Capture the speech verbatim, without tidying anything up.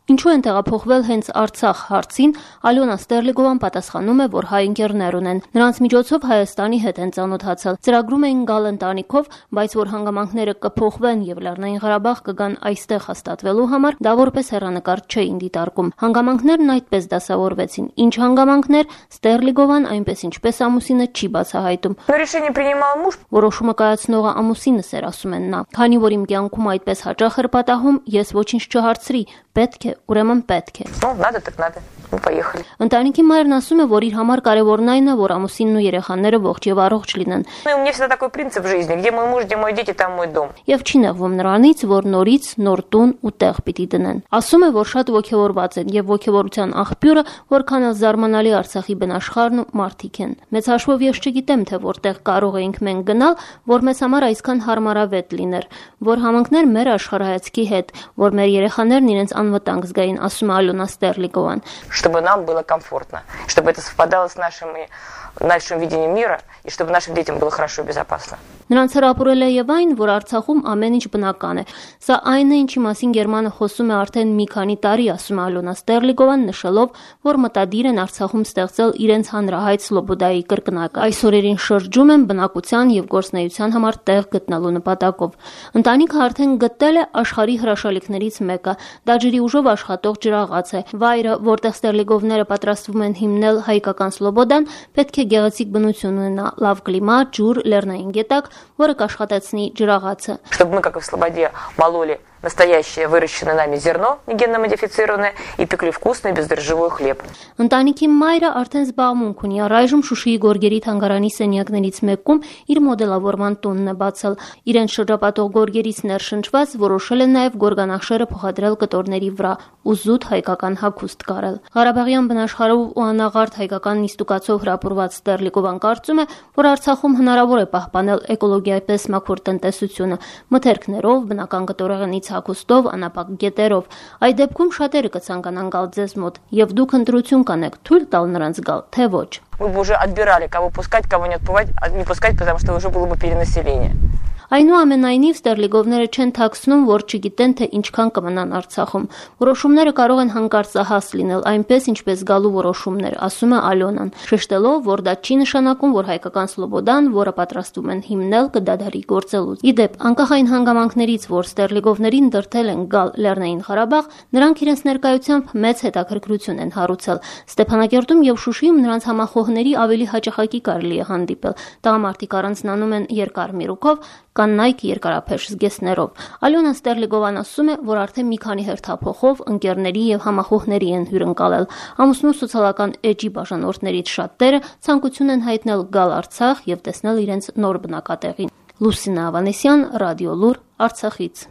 Ինչու են տեղափոխվել հենց Արցախ հարցին, Ալյոնա Ստերլիգովան պատասխանում է, որ հայ ընկերներ ունեն։ Նրանց միջոցով Հայաստանի հետ են ծանոթացել։ Ծրագրում էին գալ ընտանիքով, բայց որ հանգամանքները կփոխվեն եւ Լեռնային Ղարաբաղ կգան այստեղ հաստատվելու համար, դա որպես հեռանկար չէին դիտարկում։ Հանգամանքներն այդպես դասավորվեցին։ Ինչ հանգամանքներ, Ստերլիգովան այնպես ինչպես ամուսինը չի բացահայտում։ Որոշումը կայացնողը ամուսինս էր, ասում են նա։ Քանի որ իմ կյանքում այդպես հաճախ էր պատահում, ես ոչինչ չհարցրի, պետք է, ուրեմն պետք է։ Ընտանիքի մայրն ասում է, որ իր համար կարևորն այն է, որ ամուսինն ու երեխաները ողջ եւ առողջ լինեն։ Եվ չի նեղվում նրանից, որ норից նոր տուն ու տեղ պիտի դնեն։ Ասում է, որ շատ ոգևորված են եւ ոգևորության աղբյուրը, որքան էլ զարմանալի Արցախի բնաշխարհն ու մարդիկ են։ Մեծ հաշվով ես չգիտեմ, թե որտեղ կարող էինք մենք գնալ, որ մեզ համար այսքան հարմարավետ լիներ, որ համընկներ մեր աշխարհայացքի հետ, որ մեր երեխաներն իրենց անվտանգ զգային, ասում է Ալյոնա Ստերլիգովան։ Чтобы нам было комфортно, чтобы это совпадало с нашими, нашим видением мира, и чтобы нашим детям было хорошо и безопасно. Նրանց հրապուրել է եւ այն, որ Արցախում ամեն ինչ բնական է։ Սա այն է, ինչի մասին Գերմանը խոսում է արդեն մի քանի տարի, ասում է Ալյոնա Ստերլիգովան, նշելով, որ մտադիր են Արցախում ստեղծել իրենց հանրահայտ Սլոբոդայի կրկնակը։ Այս օրերին շրջում են բնակության եւ գործնեայության համար տեղ գտնելու նպատակով։ Ընտանիքը արդեն գտել է աշխարհի հրաշալիքներից մեկը։ Դա ջրի ուժով աշխատող ջրաղաց է։ Վայրը, որտեղ Ստերլիգովները պատրաստվում են հիմնել հայկական Սլոբոդան, պետք է գեղեցիկ բնություն ունենա, լավ կլիմա, ջուր, լեռնային գետակ, որը կաշխատեցնի ջրաղացը։ Чтобы мы, как и в Слободе, мололи настоящее выращенное нами зерно, не генно модифицированное, и пекли вкусный бездрожжевой хлеб. Ընտանիքի մայրը արդեն զբաղմունք ունի, առայժմ Շուշիի Գորգերի թանգարանի սենյակներից մեկում իր մոդելավորման տունն է բացել։ Իրենց շրջապատող գորգերից ներշնչված որոշել են նաև գորգանախշերը փոխադրել կտորների վրա ու զուտ հայկական հագուստ կարել։ Ղարաբաղյան բնաշխարհով ու անաղարտ հայկական նիստուկացով հրապուրված Ստերլիգովան կարծում է, որ Արցախում հնարավոր է պահպանել էկոլոգիայպես մաքուր տնտեսությունը, մթերքներով, բնական կտորեղենից հագուստով, անապակ գետերով։ Այդ դեպքում շատերը կցանկանան գալ ձեզ մոտ, եւ դուք ընտրություն կանեք, թույլ տալ նրանց գալ, թե ոչ։ Мы бы уже отбирали, кого пускать, кого не отпускать, не пускать, потому что уже было бы перенаселение. Այնուամենայնիվ Ստերլիգովները չեն թաքցնում, որ չգիտեն, թե ինչքան կմնան Արցախում։ Որոշումները կարող են հանկարծահաս լինել, այնպես ինչպես գալու որոշումներ, ասում է Ալյոնան, շեշտելով, որ դա չի նշանակում, որ հայկական Սլոբոդան, որը պատրաստվում են հիմնել, կդադարի գործելուց։ Իդեպ, անկախ այն հանգամանքներից, որ Ստերլիգովներին դրդել են գալ Լեռնային Ղարաբաղ, նրանք իրենց ներկայությամբ մեծ հետաքրքրություն են հարուցել։ Ստեփանակերտում եւ Շուշիում նրանց համախոհների ավելի հաճախակի կարելի է հանդիպել։ Տղամարդիկ առանձնանում են երկար միրուքով, կանայք երկարափեշ զգեստներով։ Ալյոնա Ստերլիգովան ասում է, որ արդեն մի քանի հերթափոխով ընկերների եւ համախոհների են հյուրընկալել։ Ամուսնու սոցիալական էջի բաժանորդներից շատերը ցանկություն են հայտնել գալ Արցախ եւ տեսնել իրենց նոր բնակատեղին։ Լուսինա Ավանեսյան, Ռադիոլուր, Արցախից։